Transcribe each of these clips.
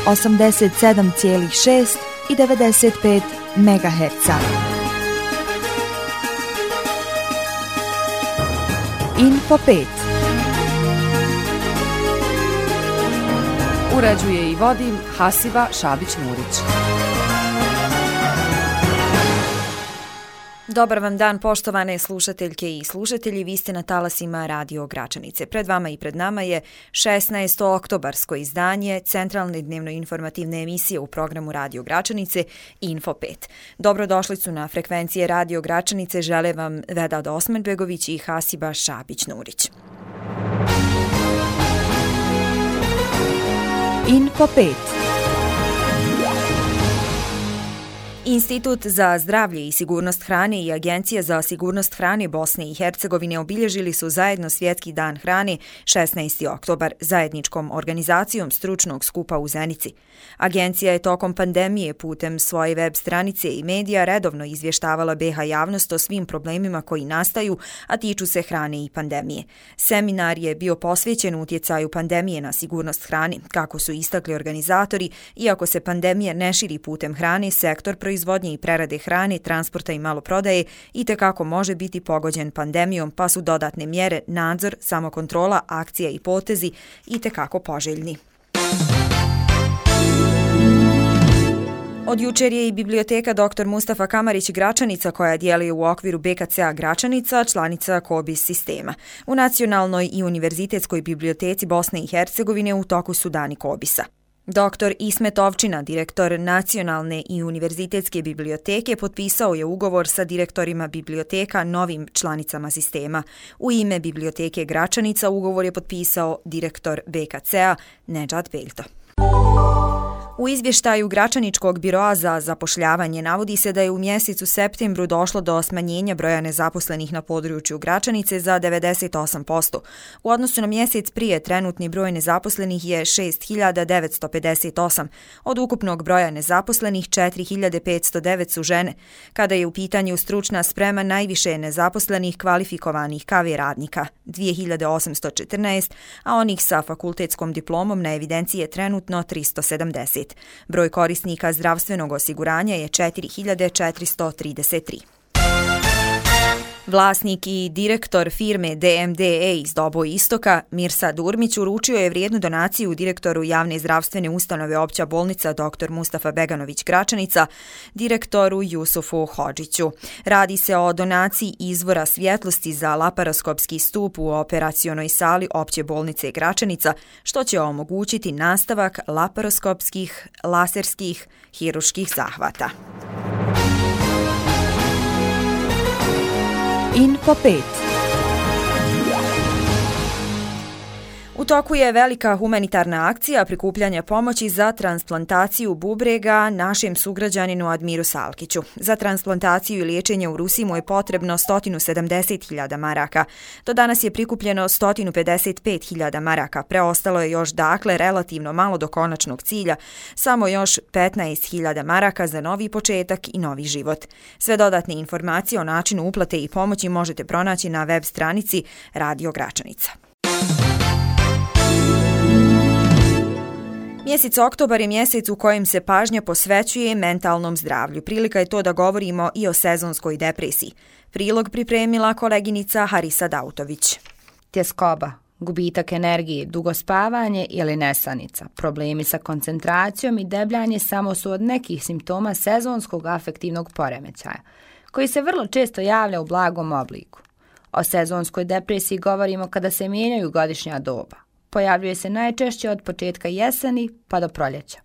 87,6 i 95 MHz. Info 5. Uređuje i vodi Hasiba Šabić-Murić. Dobar vam dan, poštovane slušateljke i slušatelji, vi ste na talasima Radio Gračanice. Pred vama i pred nama je 16. oktobarsko izdanje centralne dnevno-informativne emisije u programu Radio Gračanice Info 5. Dobrodošlicu na frekvencije Radio Gračanice žele vam Vedad Osmanbegović i Hasiba Šabić-Nurić. Info 5. Institut za zdravlje i sigurnost hrane i Agencija za sigurnost hrane Bosne i Hercegovine obilježili su zajedno Svjetski dan hrane 16. oktobar zajedničkom organizacijom stručnog skupa u Zenici. Agencija je tokom pandemije putem svoje web stranice i medija redovno izvještavala BiH javnost o svim problemima koji nastaju, a tiču se hrane i pandemije. Seminar je bio posvećen utjecaju pandemije na sigurnost hrane. Kako su istakli organizatori, iako se pandemija ne širi putem hrane, sektor proizvodnje i prerade hrane, transporta i maloprodaje itekako može biti pogođen pandemijom, pa su dodatne mjere, nadzor, samokontrola, akcija i potezi itekako poželjni. Od jučer je i biblioteka dr. Mustafa Kamarić Gračanica, koja djeluje u okviru BKC-a Gračanica, članica KOBIS sistema. U Nacionalnoj i univerzitetskoj biblioteci Bosne i Hercegovine u toku su dani KOBIS-a. Dr. Ismet Ovčina, direktor Nacionalne i univerzitetske biblioteke, potpisao je ugovor sa direktorima biblioteka novim članicama sistema. U ime biblioteke Gračanica ugovor je potpisao direktor BKC-a Nedžad Beljto. U izvještaju Gračaničkog biroa za zapošljavanje navodi se da je u mjesecu septembru došlo do smanjenja broja nezaposlenih na području Gračanice za 98%. U odnosu na mjesec prije trenutni broj nezaposlenih je 6.958. Od ukupnog broja nezaposlenih 4.509 su žene. Kada je u pitanju stručna sprema, najviše je nezaposlenih kvalifikovanih KV radnika 2.814, a onih sa fakultetskom diplomom na evidenciji je trenutno 370. Broj korisnika zdravstvenog osiguranja je 4.433. Vlasnik i direktor firme DMDE iz Doboj Istoka, Mirsa Durmić, uručio je vrijednu donaciju direktoru javne zdravstvene ustanove Opća bolnica dr. Mustafa Beganović Gračanica, direktoru Jusufu Hodžiću. Radi se o donaciji izvora svjetlosti za laparoskopski stup u operacionoj sali Opće bolnice Gračanica, što će omogućiti nastavak laparoskopskih, laserskih, hiruških zahvata. Info 5. U toku je velika humanitarna akcija prikupljanja pomoći za transplantaciju bubrega našem sugrađaninu Admiru Salkiću. Za transplantaciju i liječenje u Rusiji mu je potrebno 170.000 maraka. Do danas je prikupljeno 155.000 maraka. Preostalo je još relativno malo do konačnog cilja, samo još 15.000 maraka za novi početak i novi život. Sve dodatne informacije o načinu uplate i pomoći možete pronaći na web stranici Radio Gračanica. Mjesec oktobar je mjesec u kojem se pažnja posvećuje mentalnom zdravlju. Prilika je to da govorimo i o sezonskoj depresiji. Prilog pripremila koleginica Harisa Dautović. Tjeskoba, gubitak energije, dugo spavanje ili nesanica, problemi sa koncentracijom i debljanje samo su od nekih simptoma sezonskog afektivnog poremećaja, koji se vrlo često javlja u blagom obliku. O sezonskoj depresiji govorimo kada se mijenjaju godišnja doba. Pojavljuje se najčešće od početka jeseni pa do proljeća.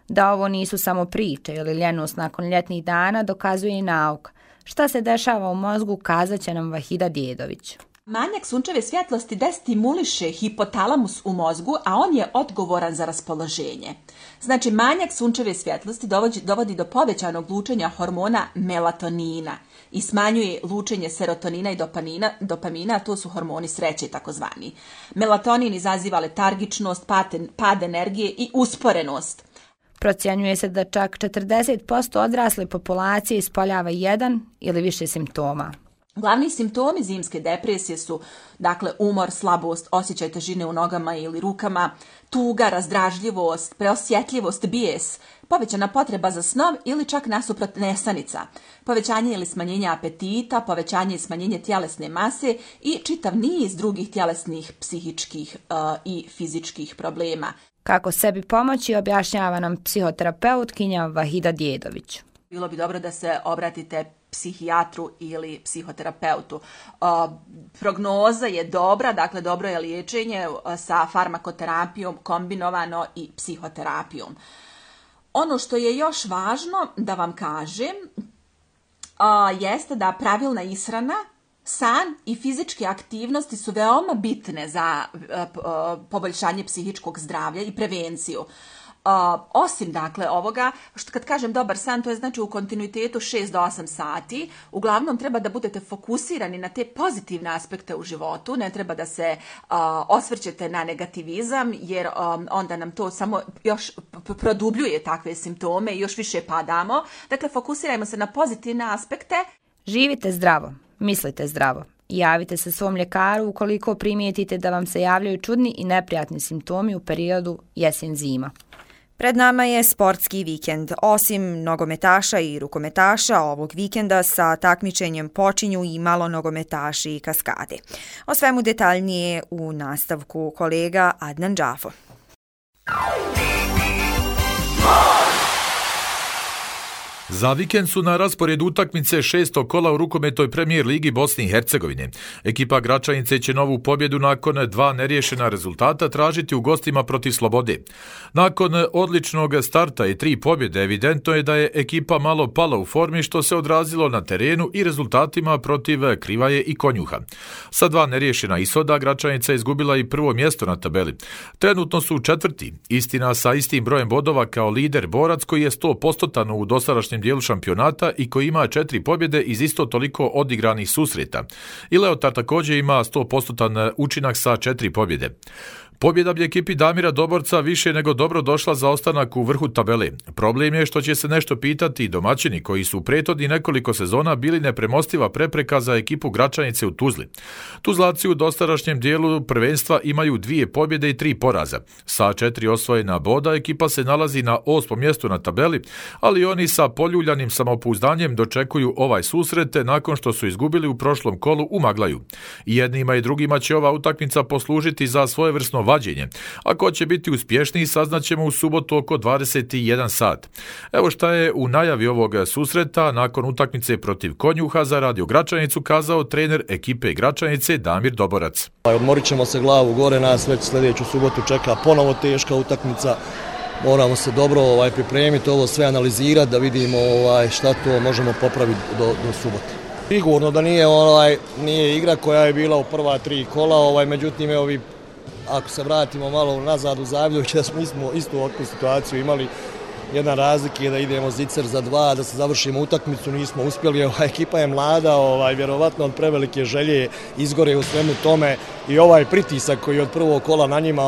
Da ovo nisu samo priče ili ljenost nakon ljetnih dana dokazuje i nauka. Šta se dešava u mozgu kazat će nam Vahida Djedović. Manjak sunčeve svjetlosti destimuliše hipotalamus u mozgu, a on je odgovoran za raspoloženje. Znači, manjak sunčeve svjetlosti dovodi do povećanog lučenja hormona melatonina i smanjuje lučenje serotonina i dopamina, a to su hormoni sreće takozvani. Melatonin izaziva letargičnost, pad energije i usporenost. Procjenjuje se da čak 40% odrasle populacije ispoljava jedan ili više simptoma. Glavni simptomi zimske depresije su, dakle, umor, slabost, osjećaj težine u nogama ili rukama, tuga, razdražljivost, preosjetljivost, bijes, povećana potreba za snom ili čak nasuprot nesanica, povećanje ili smanjenje apetita, povećanje i smanjenje tjelesne mase i čitav niz drugih tjelesnih, psihičkih i fizičkih problema. Kako sebi pomoći objašnjava nam psihoterapeutkinja Vahida Djedović. Bilo bi dobro da se obratite psihijatru ili psihoterapeutu. Prognoza je dobra, dakle dobro je liječenje sa farmakoterapijom kombinovano i psihoterapijom. Ono što je još važno da vam kažem jeste da pravilna ishrana, san i fizičke aktivnosti su veoma bitne za poboljšanje psihičkog zdravlja i prevenciju. Osim dakle ovoga, što kad kažem dobar san, to je znači u kontinuitetu 6 do 8 sati, uglavnom treba da budete fokusirani na te pozitivne aspekte u životu, ne treba da se osvrćete na negativizam, jer onda nam to samo još produbljuje takve simptome i još više padamo. Dakle, fokusirajmo se na pozitivne aspekte. Živite zdravo, mislite zdravo. Javite se svom ljekaru ukoliko primijetite da vam se javljaju čudni i neprijatni simptomi u periodu jesen-zima. Pred nama je sportski vikend. Osim nogometaša i rukometaša, ovog vikenda sa takmičenjem počinju i malo nogometaši i kaskade. O svemu detaljnije u nastavku kolega Adnan Džafo. Za vikend su na rasporedu utakmice 6. kola u rukometnoj premijer ligi Bosne i Hercegovine. Ekipa Gračanice će novu pobjedu nakon 2 neriješena rezultata tražiti u gostima protiv Slobode. Nakon odličnog starta i 3 pobjede, evidentno je da je ekipa malo pala u formi, što se odrazilo na terenu i rezultatima protiv Krivaje i Konjuha. Sa 2 neriješena ishoda, Gračanica je izgubila i prvo mjesto na tabeli. Trenutno su 4. Istina sa istim brojem bodova kao lider Borac, koji je 100% u dosadašnjem dijelu šampionata i koji ima 4 pobjede iz isto toliko odigranih susreta. I Leotar također ima 100% učinak sa 4 pobjede. Pobjeda bi ekipi Damira Doborca više nego dobro došla za ostanak u vrhu tabele. Problem je što će se nešto pitati i domaćini koji su u prethodnih nekoliko sezona bili nepremostiva prepreka za ekipu Gračanice u Tuzli. Tuzlaci u dosadašnjem dijelu prvenstva imaju 2 pobjede i 3 poraza. Sa 4 osvojena boda ekipa se nalazi na 8. mjestu na tabeli, ali oni sa poljuljanim samopouzdanjem dočekuju ovaj susret nakon što su izgubili u prošlom kolu u Maglaju. I jednima i drugima će ova utakmica poslužiti za svojevrsno vađenje. Ako će biti uspješniji, saznaćemo u subotu oko 21 sat. Evo šta je u najavi ovog susreta nakon utakmice protiv Konjuha za Radio Gračanicu kazao trener ekipe Gračanice Damir Doborac. Odmorit ćemo se glavu gore, nas već sljedeću subotu čeka ponovo teška utakmica. Moramo se dobro pripremiti, ovo sve analizirati da vidimo šta to možemo popraviti do subote. Sigurno da nije igra koja je bila u prva 3 kola, međutim ako se vratimo malo nazad u Zavljović, da smo istu ovakvu situaciju imali. Jedna razlika je da idemo zicer za 2, da se završimo utakmicu, nismo uspjeli. Ekipa je mlada, vjerovatno od prevelike želje izgore u svemu tome i ovaj pritisak koji je od prvog kola na njima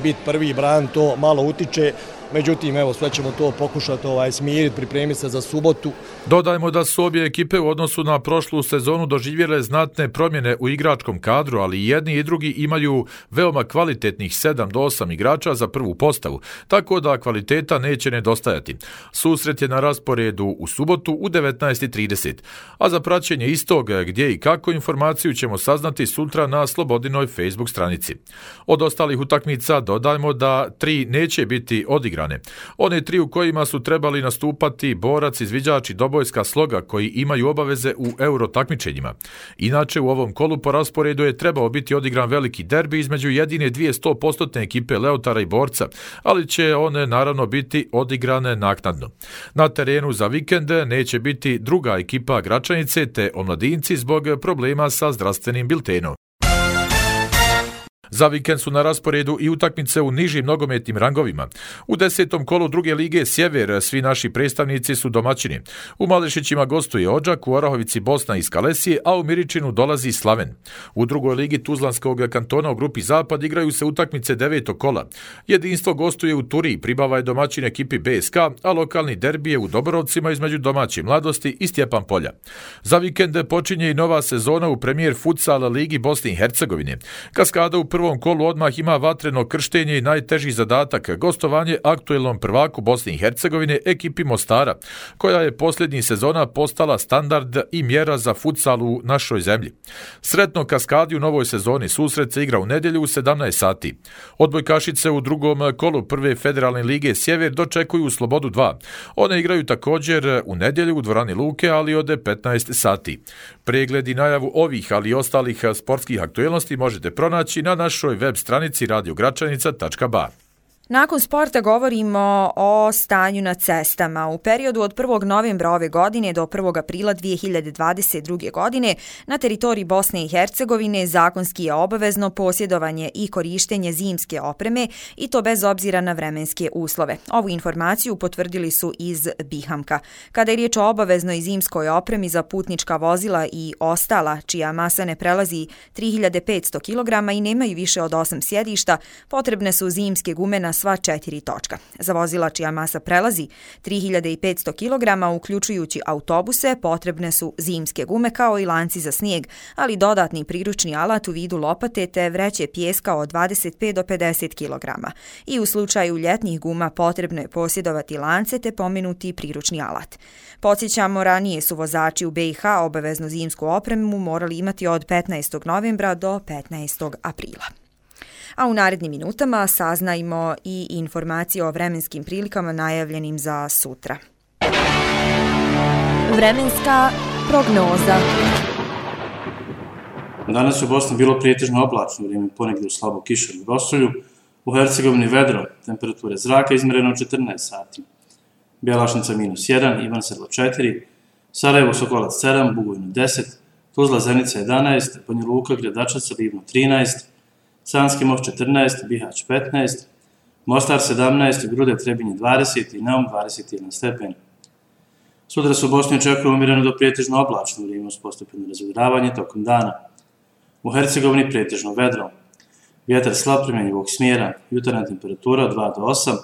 biti prvi bran, to malo utiče. Međutim, sve ćemo to pokušati smiriti, pripremiti se za subotu. Dodajmo da su obje ekipe u odnosu na prošlu sezonu doživjele znatne promjene u igračkom kadru, ali jedni i drugi imaju veoma kvalitetnih 7 do 8 igrača za prvu postavu, tako da kvaliteta neće nedostajati. Susret je na rasporedu u subotu u 19:30, a za praćenje istog gdje i kako informaciju ćemo saznati sutra na Slobodinoj Facebook stranici. Od ostalih utakmica dodajmo da 3 neće biti odigrane. One 3 u kojima su trebali nastupati Borac, Izviđač i Dobojska Sloga, koji imaju obaveze u euro takmičenjima. Inače, u ovom kolu po rasporedu je trebao biti odigran veliki derbi između jedine 2 100% ekipe Leotara i Borca, ali će one naravno biti odigrane naknadno. Na terenu za vikend neće biti druga ekipa Gračanice te omladinci zbog problema sa zdravstvenim biltenom. Za vikend su na rasporedu i utakmice u nižim nogometnim rangovima. U 10. kolu druge lige Sjever svi naši predstavnici su domaćini. U Malešićima gostuje Odžak, u Orahovici Bosna iz Kalesije, a u Miričinu dolazi Slaven. U drugoj ligi Tuzlanskog kantona u grupi Zapad igraju se utakmice 9. kola. Jedinstvo gostuje u Turiji, Pribava je domaćin ekipi BSK, a lokalni derbi je u Doborovcima između domaće Mladosti i Stjepan Polja. Za vikend počinje i nova sezona u Premijer Futsal ligi Bosne i Hercegovine. Kaskada u prvom kolu odmah ima vatreno krštenje i najteži zadatak, gostovanje aktuelnom prvaku Bosne i Hercegovine ekipi Mostara, koja je posljednjih sezona postala standard i mjera za futsal u našoj zemlji. Sretno Kaskadi u novoj sezoni, susret se igra u nedjelju u 17 sati. Odbojkašice u drugom kolu prve federalne lige Sjever dočekuju Slobodu 2. One igraju također u nedjelju u dvorani Luke, ali od 15 sati. Pregled i najavu ovih, ali i ostalih sportskih aktuelnosti možete pronaći na našoj web stranici radiogračanica.ba. Nakon sporta govorimo o stanju na cestama. U periodu od 1. novembra ove godine do 1. aprila 2022. godine na teritoriji Bosne i Hercegovine zakonski je obavezno posjedovanje i korištenje zimske opreme i to bez obzira na vremenske uslove. Ovu informaciju potvrdili su iz Bihamka. Kada je riječ o obaveznoj zimskoj opremi za putnička vozila i ostala, čija masa ne prelazi 3500 kg i nemaju više od 8 sjedišta, potrebne su zimske gume na sva 4 točka. Za vozila čija masa prelazi 3500 kg, uključujući autobuse, potrebne su zimske gume kao i lanci za snijeg, ali dodatni priručni alat u vidu lopate te vreće pijeska od 25 do 50 kg. I u slučaju ljetnih guma potrebno je posjedovati lance te pomenuti priručni alat. Podsjećamo, ranije su vozači u BiH obaveznu zimsku opremu morali imati od 15. novembra do 15. aprila. A u narednim minutama saznajmo i informacije o vremenskim prilikama najavljenim za sutra. Vremenska prognoza. Danas u Bosni bilo prijetežno oblačno vrijeme, ponegdje u slabo kišom i rosulju. U Hercegovini vedro, temperature zraka izmjereno 14 sati. Bjelašnica -1, Ivan Sedlo 4, Sarajevo Sokolac 7, Bugojno 10, Tuzla Zenica 11, Banja Luka Gradačac Livno 13, Sanski Most 14, Bihać 15, Mostar 17, Grude Trebinje 20 i Neum 21 stepen. Sutra se u Bosni očekuje umjereno do prijetežno oblačno vrijeme uz postepeno razvedravanje tokom dana. U Hercegovini prijetežno vedro. Vjetar slab primjenjivog smjera, jutarnja temperatura od 2 do 8,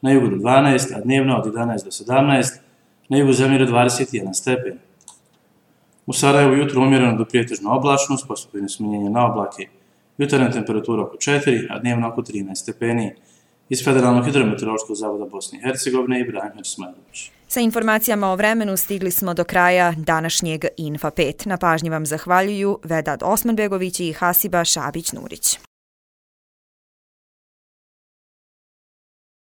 na jugu do 12, a dnevno od 11 do 17, na jugu zemlje do 21 stepen. U Sarajevu jutro umjereno do prijetežno oblačno, s postepenim smanjenjem na oblake. Jutarnja temperatura oko 4, a dnevno oko 13 stepeni. Iz Federalnog hidrometeorološkog zavoda Bosne i Hercegovine Ibrahim Hačismailović. Sa informacijama o vremenu stigli smo do kraja današnjeg Info 5. Na pažnji vam zahvaljuju Vedad Osmanbegović i Hasiba Šabić-Nurić.